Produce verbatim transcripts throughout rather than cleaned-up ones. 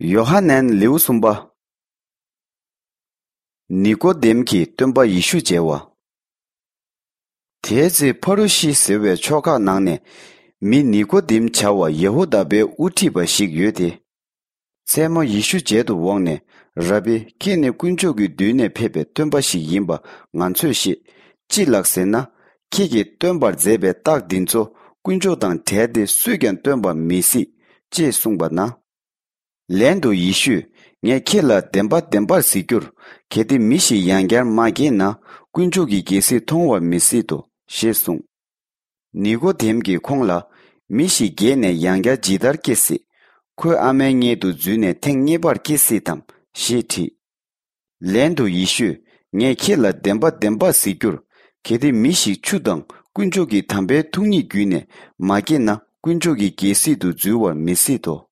ཡོ་ཧ་ནན། ལེའུ་གསུམ་པ། ནི་ཀོ་དེམ་གྱིས་སྟོན་པ་ཡེ་ཤུ་མཇལ་བ། དེའི་ཚེ་ཕ་རུ་ཤི་ཟེར་བའི་ཕྱོགས་ཁག་ནང་ནས་མི་ནི་ཀོ་དེམ་བྱ་བ་ཡ་ཧུ་དཱ་པའི་དབུ་ཁྲིད་པ་ཞིག་ཡོད་དེ། མཚན་མོ་ཡེ་ཤུ་མཇལ་དུ་འོངས་ནས། ར་བི། ཁྱེད་ནི་དཀོན་མཆོག་གི་མདུན་ནས་ཕེབས་པའི་སྟོན་པ་ཞིག་ཡིན་པ་ང་ཚོས་ཤེས། ཅི་ལགས་ཟེར་ན། ཁྱེད་ཀྱིས་སྟོན་པར་མཛད་པའི་རྟགས་འདི་ཚོ་དཀོན་མཆོག་དང་བྲལ་ཏེ་སུས་ཀྱང་སྟོན་པ་མི་སྲིད། ཅེས་གསུངས་པ་ན། ལན་དུ་ཡེ་ཤུས། ངས་ཁྱེད་ལ་བདེན་པ་བདེན་པར་ཟེར་རྒྱུར། གལ་ཏེ་མི་ཞིག་ཡང་བསྐྱར་མ་སྐྱེས་ན། དཀོན་མཆོག་གི་རྒྱལ་སྲིད་མཐོང་བར་མི་སྲིད་དོ། ཞེས་གསུངས། ནི་ཀོ་དེམ་གྱིས་ཁོང་ལ། མི་ཞིག་རྒས་ནས་ཡང་བསྐྱར་ཇི་ལྟར་སྐྱེ་སྲིད། ཁོའི་ཨ་མའི་མངལ་དུ་འཛུལ་ནས་ཐེངས་གཉིས་པར་སྐྱེ་སྲིད་དམ། ཞེས་དྲིས། ལན་དུ་ཡེ་ཤུས། ངས་ཁྱེད་ལ་བདེན་པ་བདེན་པར་ཟེར་རྒྱུར། གལ་ཏེ་མི་ཞིག་ཆུ་དང་དཀོན་མཆོག་གི་དམ་པའི་ཐུགས་ཉིད་བརྒྱུད་ནས་མ་སྐྱེས་ན། དཀོན་མཆོག་གི་རྒྱལ་སྲིད་དུ་འཛུལ་བར་མི་སྲིད་དོ།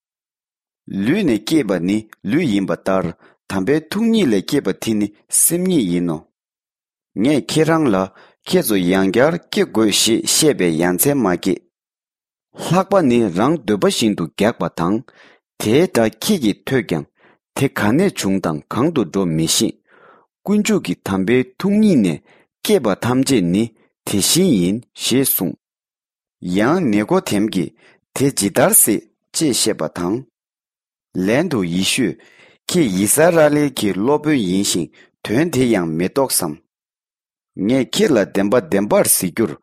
ལུས་ནས་སྐྱེས་པ་ནི་ལུས་ཡིན་པ་ལྟར། དམ་པའི་ཐུགས་ཉིད་ལས་སྐྱེས་པ་དེ་ནི་སེམས་ཉིད་ཡིན་ནོ། ངས་ཁྱེད་རང་ལ། ཁྱེད་ཚོ་ཡང་བསྐྱར་སྐྱེ་དགོས་ཞེས་བཤད་པའི་ཡ་མཚན་མ་སྐྱེས། ལྷགས་པ་ནི་རང་འདོད་པ་བཞིན་དུ་རྒྱག་པ་དང་། དེའི་སྒྲ་ཁྱེད་ཀྱིས་ཐོས་ཀྱང་། དེ་ག་ནས་བྱུང་དང་གང་དུ་འགྲོ་མི་ཤེས། དཀོན་མཆོག་གི་དམ་པའི་ཐུགས་ཉིད་ནས་སྐྱེས་པ་ཐམས་ཅད་ནི་དེ་བཞིན་ཡིན། ཞེས་གསུངས། ཡང་ནི་ཀོ་དེམ་གྱིས། དེ་ཇི་ལྟར་སྲིད། ཅེས་བཤད་པ་དང་། ལན་དུ་ཡེ་ཤུས། ཁྱེད་ཡི་ས་ར་ཨེལ་གྱི་སློབ་དཔོན་ཡིན་ཞིང་དོན་དེ་ཡང་མི་རྟོགས་སམ། ངས་ཁྱེད་ལ་བདེན་པ་བདེན་པར་ཟེར་རྒྱུར།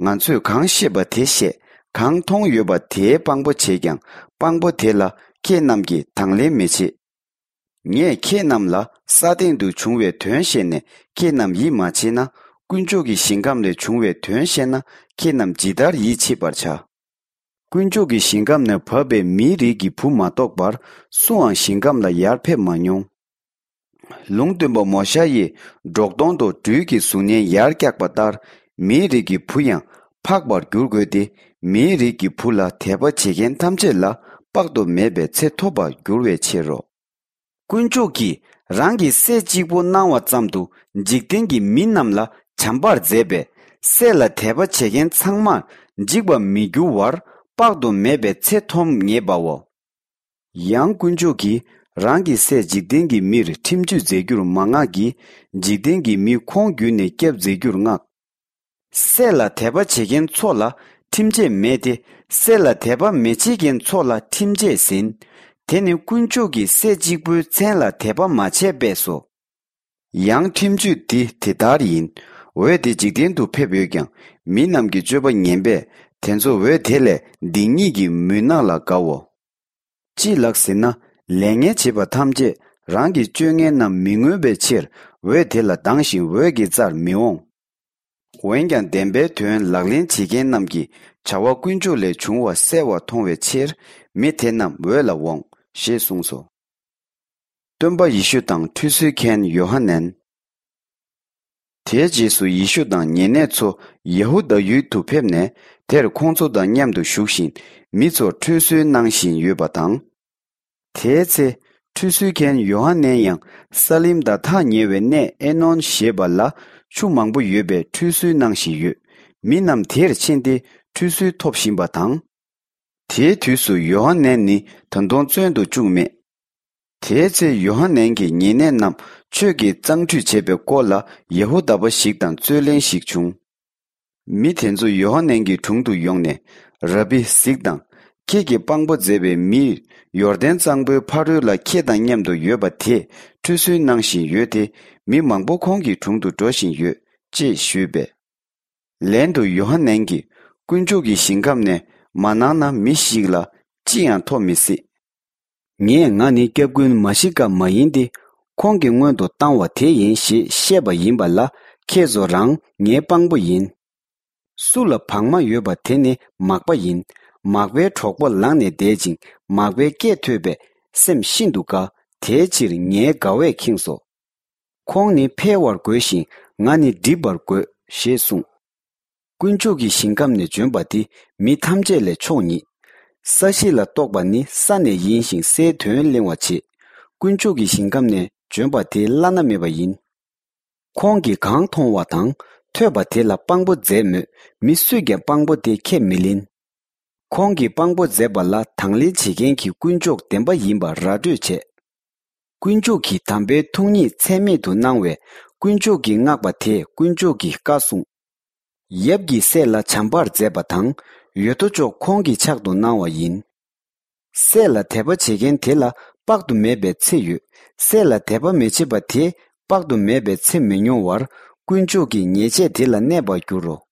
ང་ཚོས་གང་ཤེས་པ་དེ་བཤད། གང་མཐོང་ཡོད་པ་དེའི་དཔང་པོ་བྱེད་ཀྱང་། དཔང་པོ་དེ་ལ་ཁྱེད་རྣམས་ཀྱིས་དང་ལེན་མི་བྱེད། ངས་ཁྱེད་རྣམས་ལ་ས་སྟེང་དུ་བྱུང་བའི་དོན་བཤད་ནས། ཁྱེད་རྣམས་ཡིད་མ་ཆེས་ན། དཀོན་མཆོག་གི་ཞིང་ཁམས་ལས་བྱུང་བའི་དོན་བཤད་ན། ཁྱེད་རྣམས་ཇི་ལྟར་ཡིད་ཆེས་པར་བྱ། དཀོན་མཆོག་གི་ཞིང་ཁམས་ནས་བབས་པའི་མིའི་རིགས་ཀྱི་བུ་མ་གཏོགས་པར་སུའང་ཞིང་ཁམས་ལ་ཡར་ཕེབས་མ་མྱོང་། ལུང་སྟོན་པ་མོ་ཤ་ཡིས་སྒྲོག་མདོངས་དང་སྦྲུལ་གྱི་གཟུགས་བརྙན་ཡར་བཀྱགས་པ་ལྟར། མིའི་རིགས་ཀྱི་བུ་ཡང་འཕགས་པར་འགྱུར་དགོས་ཏེ། མིའི་རིགས་ཀྱི་བུ་ལ་དད་པ་བྱེད་མཁན་ཐམས་ཅད་ལ་དཔག་ཏུ་མེད་པའི་ཚེ་ཐོབ་པར་འགྱུར་བའི་ཕྱིར་རོ། དཀོན་མཆོག་གིས་རང་གི་སྲས་གཅིག་པུ་གནང་བ་ཙམ་དུ། འཇིག་རྟེན་གྱི་མི་རྣམས་ལ་བྱམས་པར་མཛད་པས། སྲས་ལ་དད་པ་བྱེད་མཁན་ཚང་མར་འཇིག་པར་མི་འགྱུར་བར་དཔག་ཏུ་མེད་པའི་ཚེ་ཐོབ་ངེས་པའོ། ཡང་དཀོན་མཆོག་གིས་རང་གི་སྲས་འཇིག་རྟེན་གྱི་མིར་ཁྲིམས་གཅོད་མཛད་རྒྱུར་མ་མངགས་ཀྱི། འཇིག་རྟེན་གྱི་མིས་ཁོང་བརྒྱུད་ནས་སྐྱབས་མཛད་རྒྱུར་མངགས། སྲས་ལ་དད་པ་བྱེད་མཁན་ཚོ་ལ་ཁྲིམས་ཆད་མེད་དེ། སྲས་ལ་དད་པ་མི་བྱེད་མཁན་ཚོ་ལ་ཁྲིམས་ཆད་ཟིན། དེ་ནི་དཀོན་མཆོག་གིས་སྲས་གཅིག་པུའི་མཚན་ལ་དད་པ་མ་བྱས་པས་སོ། ཡང་ཁྲིམས་གཅོད་འདི་དེ་ལྟར་ཡིན། འོད་དེ་འཇིག་རྟེན་དུ་ཕེབས་ཡོད་ཀྱང་། མི་རྣམས་ཀྱི་སྤྱོད་པ་ངན་པས་དེ་ཚོ་འོད་དེ་ལས་སྡིག་ཉེས་ཀྱི་མུན་ནག་ལ་དགའོ། ཅི་ལགས་ཟེར་ན། ལས་ངན་བྱེད་པ་ཐམས་ཅད་རང་གི་སྤྱོད་ངན་རྣམས་མི་མངོན་པའི་ཕྱིར། འོད་དེ་ལ་སྡང་ཞིང་འོད་ཀྱི་རྩར་མི་འོང་། འོན་ཀྱང་བདེན་པའི་དོན་ལག་ལེན་བྱེད་མཁན་རྣམས་ཀྱི་བྱ་བ་དཀོན་མཆོག་ལས་བྱུང་བ་གསལ་བར་མཐོང་བའི་ཕྱིར། མི་དེ་རྣམས་འོད་ལ་འོང་། ཞེས་གསུངས་སོ། སྟོན་པ་ཡེ་ཤུ་དང་ཁྲུས་གསོལ་མཁན་ཡོ་ཧ་ནན། དེའི་རྗེས་སུ་ཡེ་ཤུ་དང་ཉེ་གནས་ཚོ་ཡ་ཧུ་དཱ་ཡུལ་དུ་ཕེབས་ནས། དེར་ཁོང་ཚོ་དང་མཉམ་དུ་བཞུགས་ཤིང་། མི་ཚོར་ཁྲུས་གསོལ་གནང་བཞིན་ཡོད་པ་དང་། དེའི་ཚེ། ཁྲུས་གསོལ་མཁན་ཡོ་ཧ་ནན་ཡང་། ས་ལིམ་དང་ཐག་ཉེ་བའི་གནས་ཨེ་ནོན་ཞེས་པ་ལ། ཆུ་མང་པོ་ཡོད་པས་ཁྲུས་གསོལ་གནང་བཞིན་ཡོད། མི་རྣམས་དེར་ཕྱིན་ཏེ། ཁྲུས་གསོལ་ཐོབ་བཞིན་པ་དང་། དེའི་དུས་སུ་ཡོ་ཧ་ནན་ནི་ད་དུང་བཙོན་དུ་བཅུག་མེད། དེའི་ཚེ་ཡོ་ཧ་ནན་གྱི་ཉེ་གནས་རྣམས་ཆོས་ཀྱི་གཙང་ཁྲུས་བྱེད་པའི་སྐོར་ལ་ཡ་ཧུ་དཱ་པ་ཞིག་དང་རྩོད་གླེང་ཞིག་བྱུང་། མི་དེ་ཚོ་ཡོ་ཧ་ནན་གྱི་དྲུང་དུ་ཡོང་ནས། ར་བི། གཟིགས་དང་། ཁྱེད་ཀྱིས་དཔང་པོ་མཛད་པའི་མིས་ཡོར་དན་གཙང་པོའི་ཕ་རོལ་ལ་ཁྱེད་དང་མཉམ་དུ་ཡོད་པ་དེས་ཁྲུས་གསོལ་གནང་བཞིན་ཡོད་དེ། མི་མང་པོ་ཁོང་གི་དྲུང་དུ་འགྲོ་བཞིན་ཡོད། ཅེས་ཞུས་པས། ལན་དུ་ཡོ་ཧ་ནན་གྱིས། དཀོན་མཆོག་གི་ཞིང་ཁམས་ནས་མ་གནང་ན་མི་ཞིག་ལ་ཅི་ཡང་ཐོབ་མི་སྲིད། ངས་ང་ནི་སྐྱབས་མགོན་མ་ཤི་ཀ་མ་ཡིན་ཏེ། ཁོང་གི་སྔོན་དུ་བཏང་བ་དེ་ཡིན་ཞེས་བཤད་པ་ཡིན་པ་ལ། ཁྱེད་ཚོ་རང་ངའི་དཔང་པོ་ཡིན། སུ་ལ་བག་མ་ཡོད་པ་དེ་ནི་མག་པ་ཡིན། མག་པའི་གྲོགས་པོ་ལངས་ནས་བསྡད་ཅིང་། མག་པའི་སྐད་ཐོས་པས་སེམས་ཤིན་ཏུ་དགའ། དེའི་ཕྱིར་ངའི་དགའ་བས་ཁེངས་སོ། ཁོང་ནི་འཕེལ་བར་དགོས་ཤིང་། ང་ནི་འགྲིབ་པར་དགོས། ཞེས་གསུངས། དཀོན་མཆོག་གི་ཞིང་ཁམས་ནས་བྱོན་པ་དེ་མི་ཐམས་ཅད་ལས་མཆོག་ཉིད། ས་གཞི་ལ་གཏོགས་པ་ནི་ས་ནས་ཡིན་ཞིང་། སའི་དོན་གླེང་བར་བྱེད། དཀོན་མཆོག་གི་ཞིང་ཁམས་ནས་བྱོན་པ་དེ་བླ་ན་མེད་པ་ཡིན། ཁོང་གིས་གང་མཐོང་བ་དང་ཐོས་པ་དེ་ལ་དཔང་པོ་མཛད་མོད། མི་སུས་ཀྱང་དཔང་པོ་དེ་ཁས་མི་ལེན། ཁོང་གིས་དཔང་པོ་མཛད་པ་ལ་དང་ལེན་བྱེད་མཁན་གྱི་དཀོན་མཆོག་བདེན་པ་ཡིན་པ་ར་སྤྲོད་བྱས། དཀོན་མཆོག་གིས་དམ་པའི་ཐུགས་ཉིད་ཚད་མེད་དུ་གནང་བས། དཀོན་མཆོག་གིས་མངགས་པ་དེས་དཀོན་མཆོག་གི་བཀའ་སྲུང་། ཡབ་ཀྱི་སྲས་ལ་བྱམས་པར་མཛད་པ་དང་། ཡོད་དོ་ཅོག་ཁོང་གི་ཕྱག་ཏུ་གནང་བ་ཡིན། སྲས་ལ་དད་པ་བྱེད་མཁན་དེ་ལ་དཔག་ཏུ་མེད་པའི་ཚེ་ཡོད། སྲས་ལ་དད་པ་མི་བྱེད་པ་དེས་དཔག་ཏུ་མེད་པའི་ཚེ་མི་མྱོང་བར། དཀོན་མཆོག་གི་ཉེས་ཆད་དེ་ལ་གནས་པར་འགྱུར་རོ།